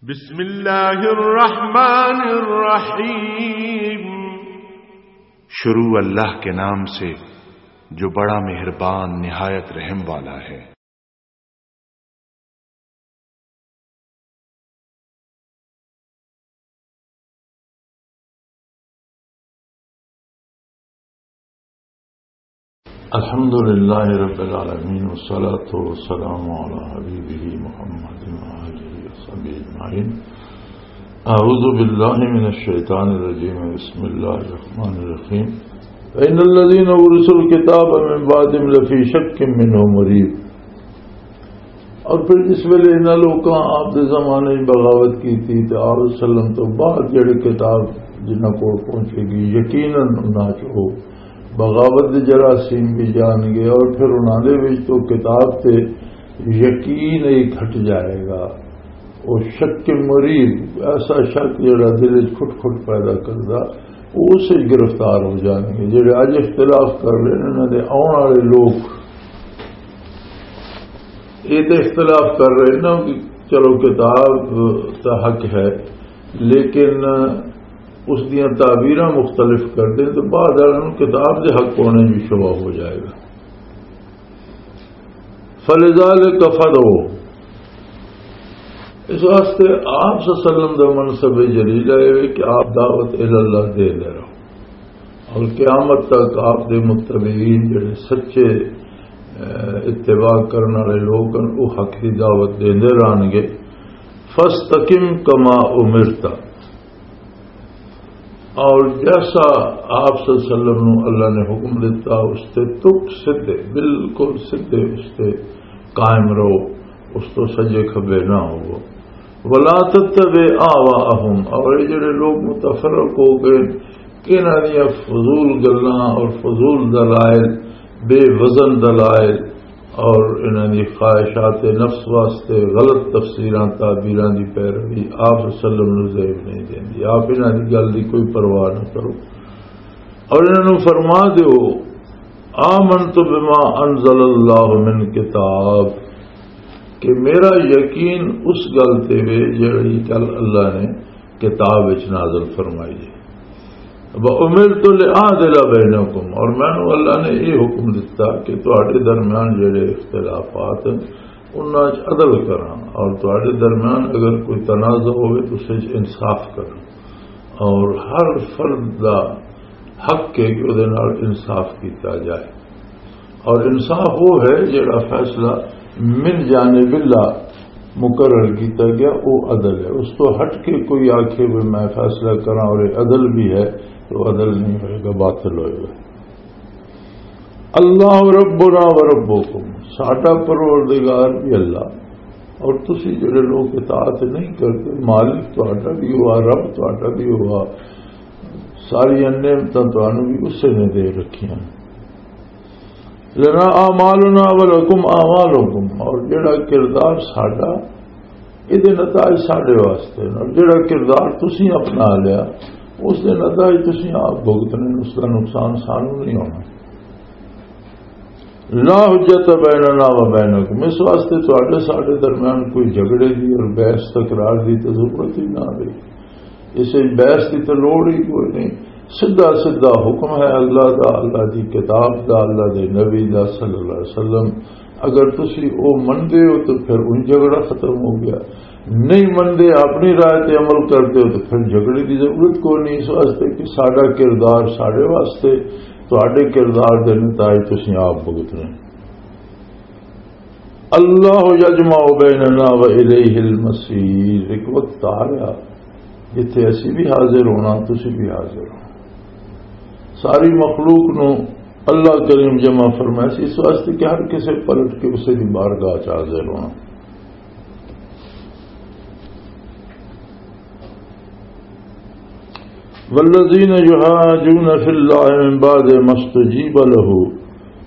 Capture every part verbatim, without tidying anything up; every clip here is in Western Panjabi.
بسم اللہ الرحمن الرحیم۔ شروع اللہ کے نام سے، جو بڑا مہربان، نہایت رحم والا ہے۔ الحمد لله رب العالمين، والصلاة والسلام على حبيبه محمد وآله وصحبه أجمعين. أعوذ بالله من الشيطان الرجيم. بسم الله الرحمن الرحيم. فإن الذين أورثوا الكتاب من بعدهم لفي شك منه مريب. اور پھر جس ویلے انہاں لوکاں آپ دے زمانے وچ بغاوت کیتی تے آپ صلی اللہ علیہ وسلم تو بعد جڑے کتاب جنہاں کول پہنچے گی، یقیناً انہاں چ او بغاوت دے جراثیم بھی جان گے، اور پھر انہاں دے وچ تو کتاب تے یقین ہی گھٹ جائے گا۔ او شک مریب، ایسا شک جڑا دل وچ کھٹ کھٹ پیدا کردا، او اس وچ گرفتار ہو جان گے۔ جڑے اج اختلاف کر رہے نے، انہاں دے آؤن والے لوگ یہ تے اختلاف کر رہے نا کہ چلو کتاب دا حق ہے، لیکن اس دیاں تعبیراں مختلف کر دیں تو بعد والوں نوں کتاب دے حق ہونے بھی شبہ ہو جائے گا۔ فلذلک فدعو، اس واسطے آپ صلی اللہ علیہ وسلم دا منصب جلیل ہے کہ آپ دعوت الی اللہ دے دے رہو۔ اور قیامت تک آپ دے متبعین جڑے سچے، اے، اتباع کرن والے لوگ ہن، وہ حق دی دعوت دیندے رہن گے۔ فاستقم کما امرت، اور جیسا آپ صلی اللہ علیہ وسلم نو اللہ نے حکم دیتا، اس تے تک سدھے، بالکل سدھے اس تے قائم رہو، اس تو سجے کھبے نہ ہوو۔ ولا تتبع اهواءهم، اور یہ جڑے لوگ متفرق ہو گئے، انہاں دیاں فضول گلاں اور فضول دلائل، بے وزن دلائل اور انہاں دی خواہشات نفس واسطے غلط تفسیراں تعبیراں دی پیروی آپ صلی اللہ علیہ وسلم نوں زیب نہیں دیندی۔ آپ انہاں دی گل دی کوئی پرواہ نہ کرو۔ اور انہاں نوں فرما دیو، آمنت بما انزل اللہ من کتاب، کہ میرا یقین اس گل تے وے جڑی گل اللہ نے کتاب وچ نازل فرمائی ہے۔ وَأُمِرْتُ لِأَعْدِلَ بَيْنَكُمْ، اور مینوں اللہ نے یہ حکم دتا کہ تہاڈے درمیان جڑے اختلافات ہیں، انہاں وچ عدل کراں، اور تہاڈے درمیان اگر کوئی تنازع ہوئے تو اس وچ انصاف کراں، اور ہر فرد دا حق ہے کہ اودے نال انصاف کیتا جائے۔ اور انصاف وہ ہے جڑا فیصلہ من جانب اللہ مقرر کیتا گیا، وہ عدل ہے۔ اس تو ہٹ کے کوئی آکھے بھی میں فیصلہ کراں اور یہ عدل بھی ہے، تو عدل نہیں ہوئے گا، باطل ہوئے گا۔ اللہ ربنا و ربکم، ساڈا پروردگار بھی اللہ، اور تسی جڑے لوگ اطاعت نہیں کرتے، مالک تہاڈا بھی ہوا، رب تہاڈا بھی ہوا، ساری نعمتاں تانوں بھی اسے نے دے رکھیاں۔ لنا اعمالنا ولکم اعمالکم، اور جڑا کردار ساڈا، یہ دے نتائج ساڈے واسطے نے، اور جڑا کردار تسی اپنا لیا، اس دے نتائج تسی آپ بھگتنے، اس دا نقصان سانوں نہیں ہونا۔ لا حجت بیننا و بینکم، اس واسطے تہاڈے ساڈے درمیان کوئی جھگڑے دی اور بحث تکرار دی تے ضرورت ہی نہ رہی۔ اس وچ بحث دی تے لوڑ ہی کوئی نہیں۔ سدھا سدھا حکم ہے اللہ دا، اللہ دی کتاب دا، اللہ دے نبی دا صلی اللہ علیہ وسلم۔ اگر تسی او مندے ہو تو پھر ان جھگڑا ختم ہو گیا، نہیں مندے، اپنی رائے تے عمل کرتے ہو تو پھر جھگڑے دی ضرورت کوئی نہیں۔ اس واسطے کہ ساڈا کردار ساڈے واسطے، تہاڈے کردار دے نتائج تسی آپ بھگتنے۔ اللہ یجمع بیننا و الیہ المصیر۔ ایک وقت آ رہا جتھے اسی بھی حاضر ہونا، تسی بھی حاضر ہونا۔ ساری مخلوق نو اللہ کریم جمع فرمایا سی، اس واسطے کہ ہر کسے پلٹ کے اسے دی بارگاہ چ حاضر ہونا۔ والذین یحاجون فی اللہ من بعد ما استجیب له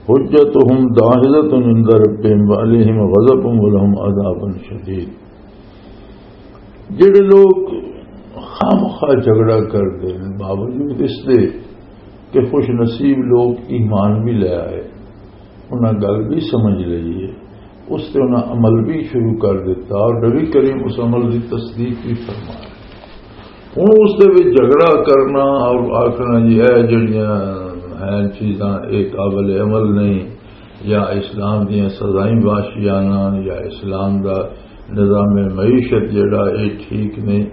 حجتهم داحضة عند ربهم وعلیہم غضب ولهم عذاب شدید۔ جڑے لوگ خامخواہ جھگڑا کردے نے، باوجود اس دے کہ خوش نصیب لوگ ایمان بھی لے آئے، انہاں گل بھی سمجھ لئی ہے، اس تے انہاں عمل بھی شروع کر دیتا اور نبی کریم اس عمل دی تصدیق بھی فرمایا۔ ہن اس دے وچ جھگڑا کرنا اور آکھنا جی اے جڑیاں ہیں چیزاں اے قابل عمل نہیں، یا اسلام دیاں سزائیں واشیانہ، یا اسلام دا نظام معیشت جڑا اے ٹھیک نہیں،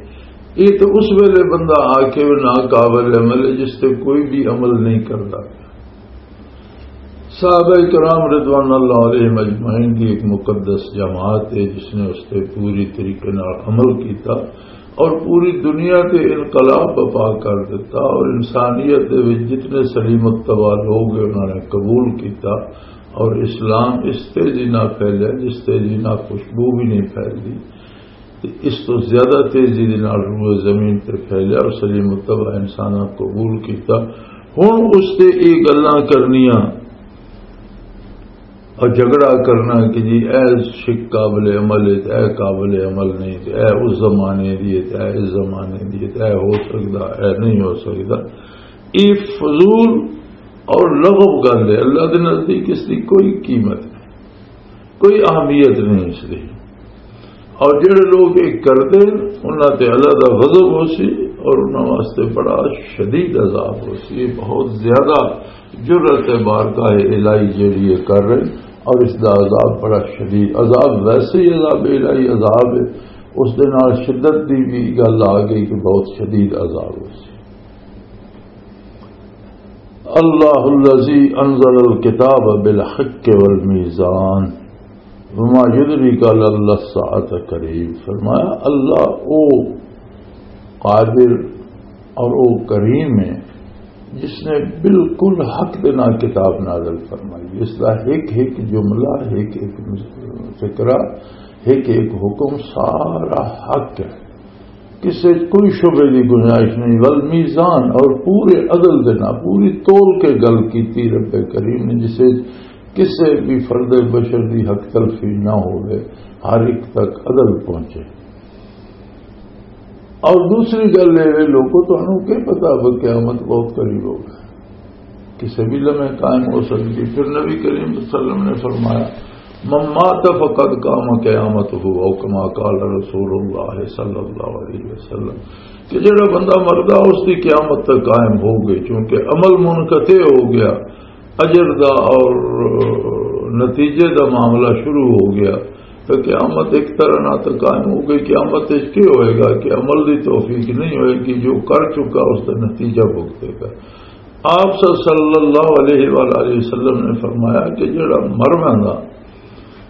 اے تو اس ویلے بندہ آکھے وہ ناقابل عمل ہے جس تے کوئی بھی عمل نہیں کرتا۔ صحابہ کرام رضوان اللہ علیہم اجمعین کی ایک مقدس جماعت ہے جس نے اس تے پوری طریقے نال عمل کیتا اور پوری دنیا تے انقلاب بپا کر دیتا، اور انسانیت دے وچ جتنے سلیم الطبع لوگ ہیں انہوں نے قبول کیتا، اور اسلام اس تیزی نال پھیلیا جس تیزی نال خوشبو بھی نہیں پھیلدی۔ تے اس تو زیادہ تیزی دے نال روئے زمین تے پھیلیا اور سلیم الطبع انساناں قبول کیتا۔ ہن اس تے اے گلاں کرنیاں اور جھگڑا کرنا کہ جی اے شک قابل عمل ہے تے اے قابل عمل نہیں، تے اے اس زمانے دی ہے تے اے اس زمانے دی ہے، تے اے ہو سکدا، اے نہیں ہو سکدا، اے فضول اور لغو گل ہے۔ اللہ دے نزدیک اس دی کوئی قیمت نہیں، کوئی اہمیت نہیں اس دی۔ اور جڑے لوگ یہ کردے، انہاں تے اللہ دا غضب ہو سی اور انہاں واسطے بڑا شدید عذاب ہو سی۔ یہ بہت زیادہ جرت ہے بارگاہ الہی جڑی یہ کر رہے، اور اس دا عذاب بڑا شدید، عذاب ویسے ہی عذاب الہی عذاب ہے، اس دے نال شدت دی بھی گل آ گئی کہ بہت شدید عذاب ہو سی۔ اللہ الذی انزل الکتاب بالحق والمیزان وما یدریک لعل الساعة قریب۔ فرمایا، اللہ او قادر اور او کریم ہے جس نے بالکل حق دے نال کتاب نازل فرمائی، اس دا ایک ایک جملہ، ایک ایک فقرہ، ایک ایک حکم سارا حق ہے، کسے کوئی شبے دی گنجائش نہیں۔ والمیزان، اور پورے عدل دے نال، پوری تول کے گل کیتی رب کریم نے، جسے کسے بھی فرد بشر دی حق تلفی نہ ہوئے، ہر ایک تک عدل پہنچے۔ اور دوسری گل یہ ہے، لوگوں، تانوں کی پتا وہ قیامت بہت قریب ہوگا، کسے بھی لمحے قائم ہو سکتی۔ پھر نبی کریم صلی اللہ علیہ وسلم نے فرمایا، من مات فقد قام قیامتہ، او کما قال رسول اللہ صلی اللہ علیہ وسلم، کہ جڑا بندہ مردا اس دی قیامت تک قائم ہو گئی، کیونکہ عمل منقطع ہو گیا، اجر دا اور نتیجے دا معاملہ شروع ہو گیا، تو قیامت ایک طرح نہ تو قائم ہو گئی۔ قیامت اس کی ہوئے گا کہ عمل دی توفیق نہیں ہوئے گی، جو کر چکا اس دا نتیجہ بھگتے گا۔ آپ صلی اللہ علیہ وآلہ وسلم نے فرمایا کہ جڑا مر ویندا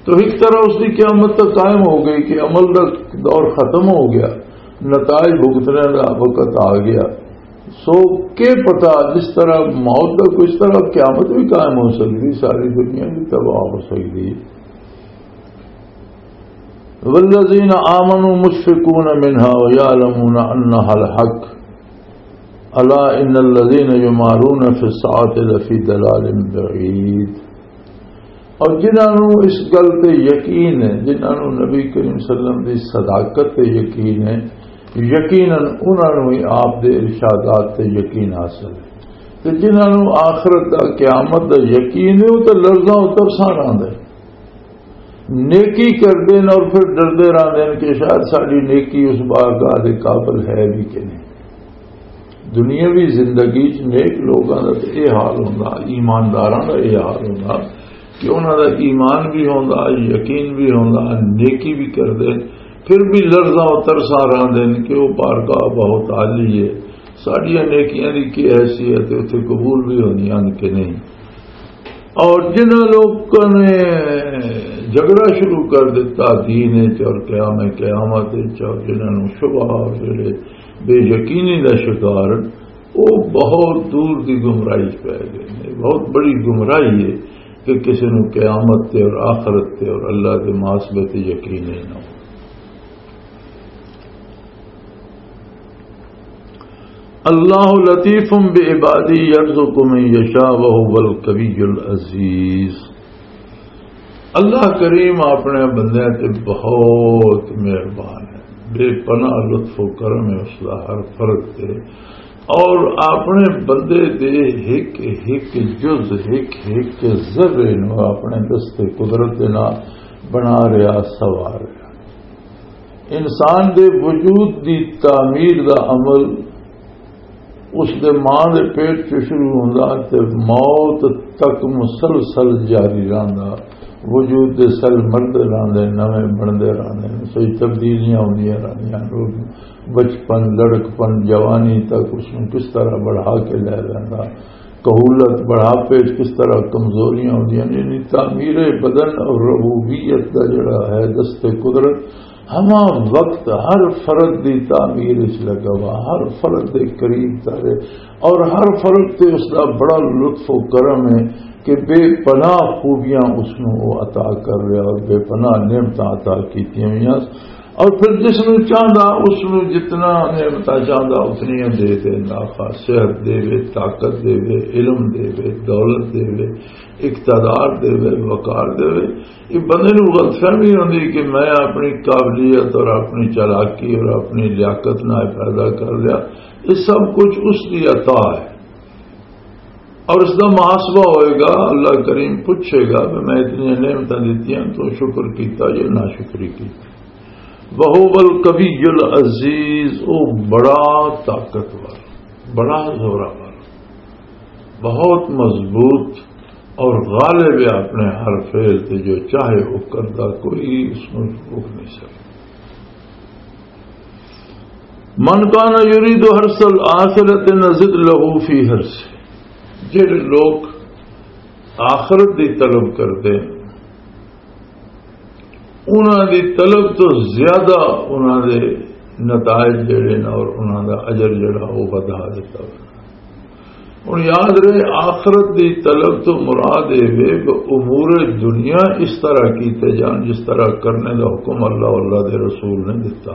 تو ایک طرح اس دی قیامت تو قائم ہو گئی کہ عمل دا دور ختم ہو گیا، نتائج بھگتنے دا وقت آ گیا۔ سو کے پتا، جس طرح موت دا کچھ طرح قیامت بھی قائم ہو سکتی، ساری دنیا بھی تباہ ہو سکتی۔ والذین آمنوا مشفقون منها ویعلمون انها الحق الا ان الذین یمارون فی الساعة لفی ضلال بعید۔ اور جنہاں نوں اس گل تے یقین ہے، جنہاں نوں نبی کریم صلی اللہ علیہ وسلم دی صداقت تے یقین ہے، یقیناً انہاں نوں ہی آپ دے ارشادات تے یقین حاصل ہے۔ تے جنہاں نوں آخرت دا، قیامت دا یقین ہے، وہ تے لرزاں اتر سان آندا ہے۔ نیکی کردے نے اور پھر ڈردے رہندے نے کہ شاید ساڈی نیکی اس بارگاہ دے قابل ہے بھی کہ نہیں۔ دنیاوی زندگی چ نیک لوگاں دا تے اے حال ہوندا، ایمانداراں دا اے حال ہوندا کہ انہاں دا ایمان بھی ہوندا، یقین بھی ہوندا، نیکی بھی کردے، پھر بھی لرزاں و ترساں رہندے نے کہ وہ بارگاہ بہت عالی ہے، ساڈیاں نیکیاں دی کی حیثیت ہے، اتھے قبول بھی ہوندیاں نے کہ نہیں۔ اور جنہاں لوگاں نے جھگڑا شروع کر دیتا دین وچ اور قیام قیامت وچ، اور جنہاں نوں شبہ اور جڑے بے یقینی دا شکار، وہ بہت دور دی گمراہی چ پی گئے نے۔ بہت بڑی گمراہی ہے کہ کسی نوں قیامت تے اور آخرت تے اور اللہ دے محاسبے تے یقین ہی نہ ہو۔ اللہ لطیف بعبادہ یرزق من یشاء وہو القوی العزیز۔ اللہ کریم اپنے بندیاں تے بہت مہربان ہے، بے پناہ لطف و کرم ہے اس دا ہر فرد تے، اور اپنے بندے دے ہک ہک جز، ہک ہک ذرے نو اپنے دستے قدرت دے نال بنا رہا، سوار رہا۔ انسان دے وجود دی تعمیر دا عمل اس دے ماں دے پیٹ چ شروع ہوندا تے موت تک مسلسل جاری رہندا۔ وجود دے سیل مردے رہندے، نویں بنتے رہندے، سوئی تبدیلیاں ہوندیاں رہندیاں۔ لوگ بچپن، لڑکپن، جوانی تک اس نوں کس طرح بڑھا کے لے جاندا، کہولت، بڑھاپے وچ کس طرح کمزوریاں ہوندیاں نے، یعنی تعمیر بدن اور ربوبیت دا جڑا ہے، دست قدرت، ہما وقت ہر فرد دی تعمیر وچ لگا ہوا، ہر فرد دے قریب تارے، اور ہر فرد تے اس دا بڑا لطف و کرم ہے کہ بے پناہ خوبیاں اس نوں وہ عطا کر رہا اور بے پناہ نعمتاں عطا کیتیاں ہوئیاں۔ اور پھر جس نوں چاہندا، اس نوں جتنا نعمتاں چاہندا، اتنیاں دے دیندا۔ خاص صحت دے وے، طاقت دے وے، علم دے وے، دولت دے وے، اقتدار دے وے، وقار دے وے۔ یہ بندے نوں غلط فہمی ہوندی کہ میں اپنی قابلیت اور اپنی چالاکی اور اپنی لیاقت نال پیدا کر لیا۔ یہ سب کچھ اس دی عطا ہے۔ اور اس دا محاسبہ ہوئے گا، اللہ کریم پوچھے گا کہ میں اتنی نعمتاں دتیاں، تو شکر کیتا یا ناشکری کیتی؟ وہو القوی العزیز، او بڑا طاقتور، بڑا زوراور، بہت مضبوط اور غالب ہے اپنے ہر فعل تے، جو چاہے وہ کردا، کوئی اس نوں روک نہیں سکتا۔ من کان یرید حرث الآخرۃ نزد لہ فی حرثہ، جڑے لوگ آخرت دی طلب کردے، انہاں دی طلب تو زیادہ انہاں دے نتائج جڑے نے اور انہاں دا اجر جڑا، وہ ودھا دیتا۔ ہن یاد رہے، آخرت دی طلب تو مراد اے وے کہ امور دنیا اس طرح کیتے جان جس طرح کرنے دا حکم اللہ، اللہ دے رسول نے دتا۔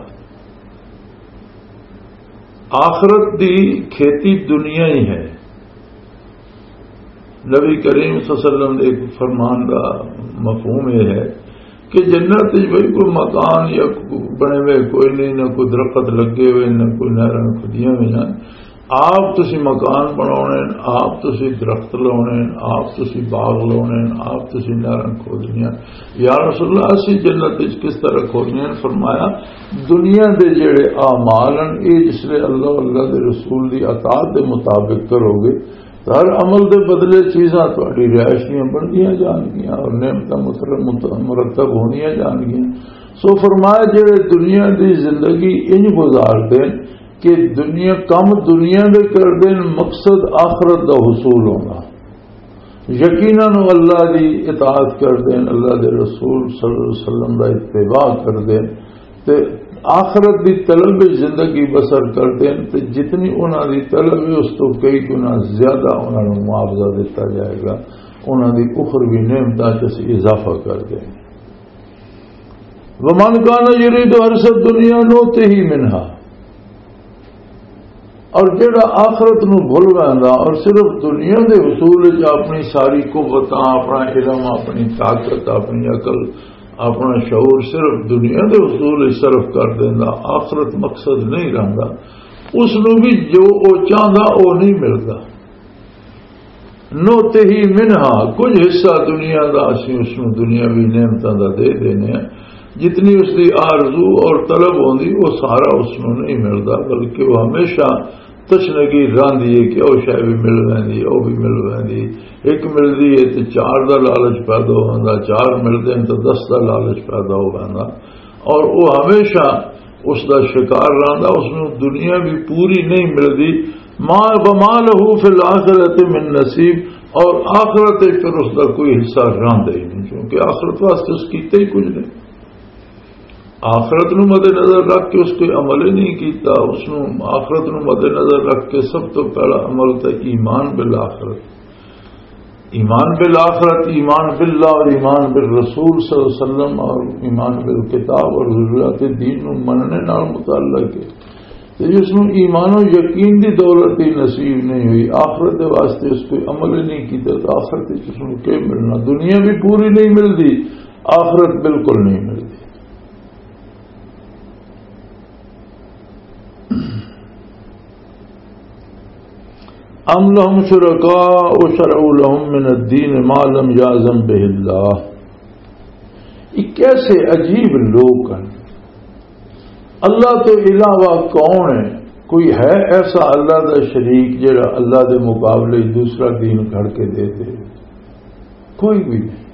آخرت دی کھیتی دنیا ہی ہے۔ نبی کریم صلی اللہ علیہ وسلم دے ایک فرمان دا مفہوم یہ ہے کہ جنت وچ بھئی کوئی مکان یا کوئی بنے ہوئے کوئی نہیں، نہ کوئی درخت لگے ہوئے، نہ کوئی نہراں کھدیاں ہوئیاں۔ آپ تسی مکان بناونے ہیں، آپ تسی درخت لاونے ہیں، آپ تسی باغ لاونے ہیں، آپ تسی نہراں کھودنیاں۔ یا رسول اللہ، اسی جنت وچ کس طرح کھودنیاں؟ فرمایا، دنیا دے جڑے اعمال ہیں، اے جس لے اللہ، اللہ دے رسول دی اطاعت دے مطابق کرو گے، ہر عمل دے بدلے چیزاں تہاڈی رہائش دیاں بندیاں جان گیاں اور نعمتاں متر-، مت-، مرتب ہونیاں جان گیاں۔ سو فرمایا، جڑے دنیا دی زندگی انج گزار دین کہ دنیا، کم دنیا دے کر دین، مقصد آخرت دا حصول ہونا، یقیناً وہ اللہ دی اطاعت کر دین، اللہ دے رسول صلی اللہ علیہ وسلم دا اتباع کر دین، تے آخرت دی طلب وچ زندگی بسر کردے ہیں، تے جتنی انہاں دی طلب ہے، اس تو کئی گنا زیادہ انہاں نوں معاوضہ دتا جائے گا، انہاں دی اخروی نعمتاں چ اسی اضافہ کر دیں۔ ومن کان یرید حرث الدنیا نؤتہ منہا، اور جڑا آخرت نو بھول ویندا اور صرف دنیا دے حصول وچ اپنی ساری قوتاں، اپنا علم، اپنی طاقت، اپنی عقل، اپنا شعور صرف دنیا دے حصول وچ صرف کر دیندا، آخرت مقصد نہیں رہندا، اس نو بھی جو او چاہندا او نہیں ملدا۔ نؤتہ منہا، کچھ حصہ دنیا دا اسی اس نو دنیاوی نعمتاں دا دے دینے ہیں۔ جتنی اس دی آرزو اور طلب ہوندی، وہ سارا اس نو نہیں ملدا، بلکہ وہ ہمیشہ تشنگی راندی ہے کہ او شے بھی مل ویندی، او بھی مل ویندی۔ ایک ملدی ہے تے چار دا لالچ پیدا ہوندا، چار ملدے ہیں تے دس دا لالچ پیدا ہو ویندا۔ اور وہ ہمیشہ اس دا شکار رہندا، اس نوں دنیا بھی پوری نہیں ملدی۔ ما، وما لہ فی الآخرۃ من نصیب، اور آخرت وچ پھر اس دا کوئی حصہ رہندا ہی نہیں، کیونکہ آخرت واسطے اس کیتے ہی کچھ نہیں۔ آخرت نو مد نظر رکھ کے اس کوئی عمل ہی نہیں کیتا۔ اس نو، آخرت نو مد نظر رکھ کے سب تو پہلا عمل تے ایمان بالآخرت، ایمان بالآخرت، ایمان باللہ اور ایمان بالرسول صلی اللہ علیہ وسلم اور ایمان بالکتاب اور ضروریات دین نو مننے نال متعلق ہے۔ تے جس نو ایمان و یقین دی دولت ہی نصیب نہیں ہوئی، آخرت دے واسطے اس کوئی عمل ہی نہیں کیتا، تو آخرت وچ اس نو کی ملنا؟ دنیا بھی پوری نہیں ملدی، آخرت بالکل نہیں ملدی۔ ام لهم شرکاء شرعوا لهم من الدین ما لم یأذن به اللہ، یہ کیسے عجیب لوگ ہیں؟ اللہ تو علاوہ کون ہے؟ کوئی ہے ایسا اللہ دا شریک جڑا اللہ دے مقابلے وچ دوسرا دین گھڑ کے دے دے؟ کوئی بھی نہیں۔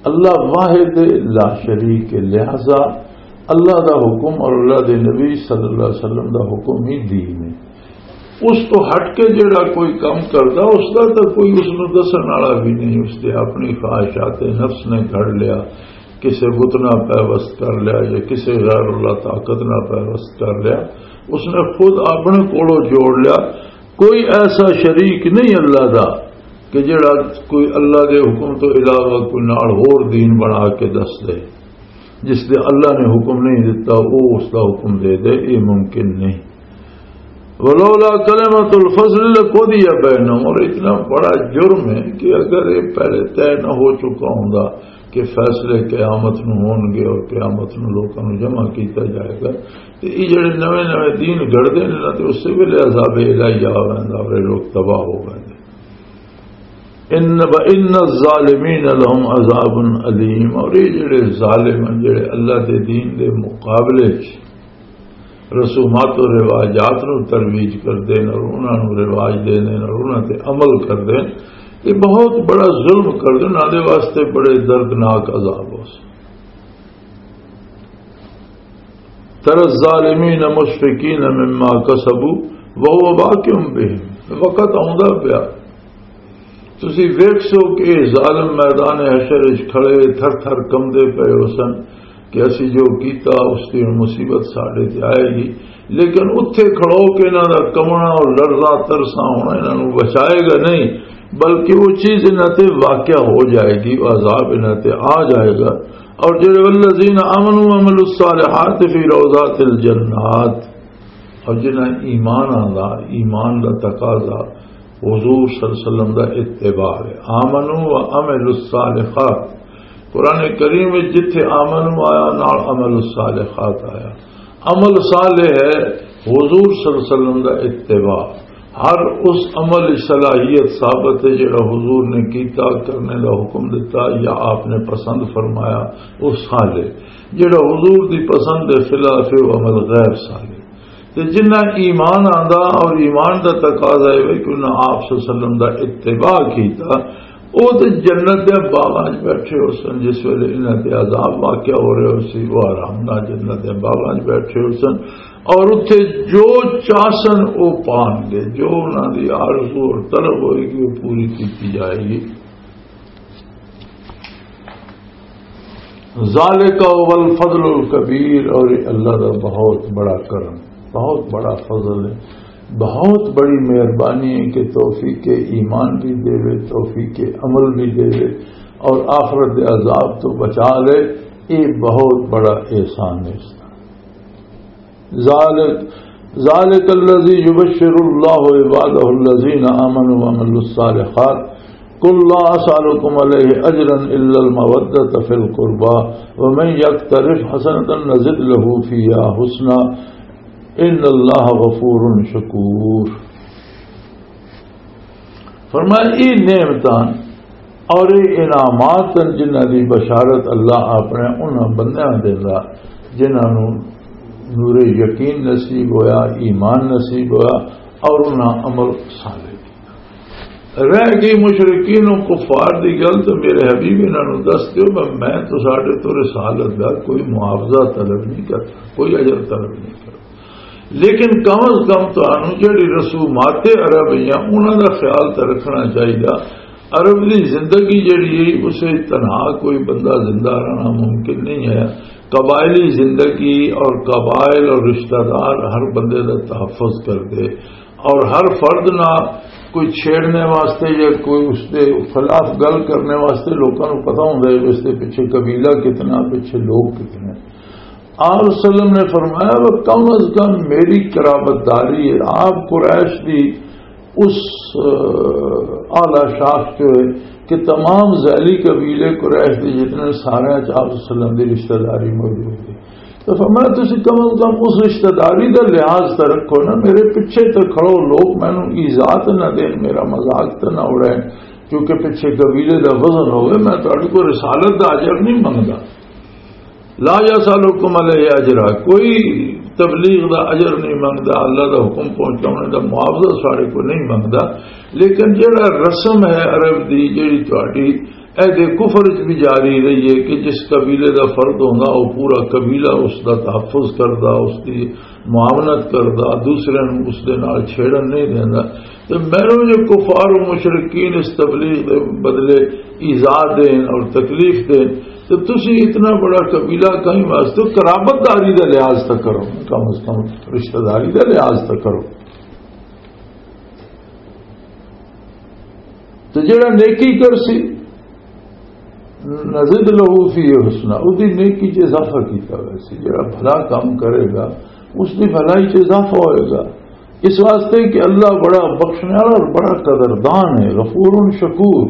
اللہ واحد لا شریک ہے، لہذا اللہ دا حکم اور اللہ دے نبی صلی اللہ علیہ وسلم دا حکم ہی دین ہے۔ اس تو ہٹ کے جڑا کوئی کم کردا، اس دا تاں کوئی اس نوں دسن والا بھی نہیں، اس دے اپنی خواہشات نفس نے گھڑ لیا، کسے بت نال پیوست کر لیا یا کسے غیر اللہ طاقت نال پیوست کر لیا، اس نے خود اپنے کولوں جوڑ لیا۔ کوئی ایسا شریک نہیں اللہ دا کہ جڑا کوئی اللہ دے حکم تو علاوہ کوئی نال ہور دین بنا کے دس دے۔ جس دے اللہ نے حکم نہیں دتا، وہ اس دا حکم دے دے، یہ ممکن نہیں۔ ولولا کلمۃ الفصل لقضی بینہم، اور اتنا بڑا جرم ہے کہ اگر یہ پہلے طے نہ ہو چکا ہوندا کہ فیصلے قیامت نو ہون گے اور قیامت نو لوکاں نو جمع کیتا جائے گا، تے یہ جڑے نویں نویں دین گھڑدے نے نا، تے اس ویلے عذاب الہی آ ویندا اور یہ لوگ تباہ ہو ویندے۔ ان و ان الظالمین لهم عذاب الیم، اور یہ جڑے ظالم ہیں، جڑے اللہ دے دین دے مقابلے چ رسومات و رواجات نو ترویج کردے نے اور انہاں نو رواج دے دے نے اور انہاں تے عمل کردے نے، یہ بہت بڑا ظلم کردے نے، انہاں دے واسطے بڑے دردناک عذاب ہو سی۔ ترى الظالمين مشفقين مما كسبوا وهو واقع بهم، وقت آوندا پیا۔ تسی ویکھ سو کہ ظالم میدان حشر وچ کھڑے تھر تھر کمدے پئے ہو سن کہ اسی جو کیتا اس دی ہن مصیبت ساڈے تے آئے گی، لیکن اتھے کھڑو کے انہاں دا کمنا اور لرزا ترسا ہونا انہاں نوں بچائے گا نہیں، بلکہ وہ چیز انہاں تے واقع ہو جائے گی، وہ عذاب انہاں تے آ جائے گا۔ اور جڑے والذین آمنوا وعملوا الصالحات فی روضات الجنات، اور جنہاں ایمان آندا، ایمان دا تقاضا حضور صلی اللہ علیہ وسلم دا اتباع ہے۔ آمنوا و عملوا الصالحات، قرآن کریم وچ جتھے آمنوا آیا، نال عمل الصالحات آیا۔ عمل صالح ہے حضور صلی اللہ علیہ وسلم دا اتباع۔ ہر اس عمل صلاحیت ثابت ہے جڑا حضور نے کیتا، کرنے دا حکم دیتا یا آپ نے پسند فرمایا، وہ صالح۔ جڑا حضور دی پسند دے خلاف ہے، وہ عمل غیر صالح۔ تے جنہ ایمان آندا اور ایمان دا تقاضا ہے کہ انہاں آپ صلی اللہ علیہ وسلم دا اتباع کیتا، او تے جنت دے باغاں وچ بیٹھے ہو سن۔ جس ویلے انہاں تے عذاب واقع ہو رہے ہو سی، وہ آرام نال جنت دے باغاں وچ بیٹھے ہو سن، اور اتھے جو چاہسن او پان گے، جو انہاں دی آرزو اور طلب ہوئے گی، وہ پوری کیتی جائے گی۔ ذالک هو الفضل الکبیر، اور یہ اللہ دا بہت بڑا کرم، بہت بڑا فضل ہے، بہت بڑی مہربانی ہے کہ توفیق ایمان بھی دے، توفیق عمل بھی دے، اور آخرت دے عذاب تو بچا لے۔ یہ بہت بڑا احسان ہے اس کا۔ ذالک، ذالک الذی یبشر اللہ عبادہ الذین آمنوا وعملوا الصالحات، قل لا اسألکم علیہ اجرا الا المودۃ فی القربی، ومن یقترف حسنۃ نزد لہ فیہا حسنا، ان اللہ غفور شکور۔ فرمایا، یہ نعمتاں اور یہ انعامات ہیں جنہاں دی بشارت اللہ اپنے انہاں بندیاں دیندا جنہاں نوں نور یقین نصیب ہویا، ایمان نصیب ہویا، اور انہاں عمل صالح کیتا۔ رہ گئی مشرکین و کفار دی گل، تو میرے حبیب انہاں نوں دس دیو، میں، میں تو ساڈے تو رسالت دا کوئی معاوضہ طلب نہیں کرتا، کوئی اجر طلب نہیں کرتا۔ لیکن کم از کم تانوں جڑی رسومات عربیاں، انہاں دا خیال تے رکھنا چاہیے۔ عرب دی زندگی جڑی ہے، اسے تنہا کوئی بندہ زندہ رہنا ممکن نہیں ہے۔ قبائلی زندگی اور قبائل اور رشتہ دار ہر بندے دا تحفظ کر دے، اور ہر فرد نہ کوئی چھیڑنے واسطے یا کوئی اس دے خلاف گل کرنے واسطے لوکاں نوں پتہ ہوندا ہے کہ اس دے پیچھے قبیلہ کتنا، پیچھے لوگ کتنے۔ آپ صلی اللہ علیہ وسلم نے فرمایا، "وہ کم از کم میری قرابت داری ہے۔" آپ قریش دی اس، آ، اعلیٰ شاخ چ ہوئے کہ تمام ذیلی قبیلے قریش دے جتنے سارے چ آپ صلی اللہ علیہ وسلم دی رشتہ داری موجود ہے۔ تو فرمایا، "تسی کم از کم اس رشتہ داری دا لحاظ تو رکھو نا، میرے پیچھے تو کھڑو، لوگ مینوں ایذا تو نہ دین، میرا مذاق تو نہ اڑائیں۔" کیونکہ پچھے قبیلے دا وزن ہوئے، میں تہاڈے کو رسالت دا اجر نہیں منگدا۔ لا یسألکم علیہ اجرا، کوئی تبلیغ دا اجر نہیں منگدا، اللہ دا حکم پہنچانے دا معاوضہ ساڈے کو نہیں منگدا۔ لیکن جڑا رسم ہے عرب دی، جڑی تہاڈی عہد کفر وچ بھی جاری رہی ہے کہ جس قبیلے دا فرد ہوندا، وہ پورا قبیلہ اس دا تحفظ کردا، اس دی معاونت کردا، دوسرے نوں اس دے نال چھیڑن نہیں دیندا۔ تے مینوں جو کفار و مشرکین اس تبلیغ دے بدلے ایذا دین اور تکلیف دین، تو تسی اتنا بڑا قبیلہ کہیں واسطے قرابت داری دا لحاظ تک کرو، کم از کم رشتہ داری دا لحاظ تک کرو۔ تو جڑا نیکی کر سی، نزد لہو فی حسنا، اس دی نیکی چ اضافہ کیتا ہویا سی۔ جڑا بھلا کام کرے گا، اس دی بھلائی چ اضافہ ہوئے گا۔ اس واسطے کہ اللہ بڑا بخشنے والا اور بڑا قدردان ہے، غفور شکور۔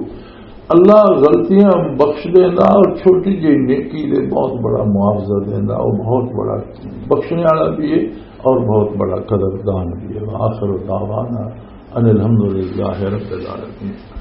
اللہ غلطیاں بخش دینا اور چھوٹی جی نیکی دے بہت بڑا معاوضہ دینا، وہ بہت بڑا بخشنے والا بھی ہے اور بہت بڑا قدردان بھی ہے۔ وآخر دعوانا ان الحمدللہ رب العالمین۔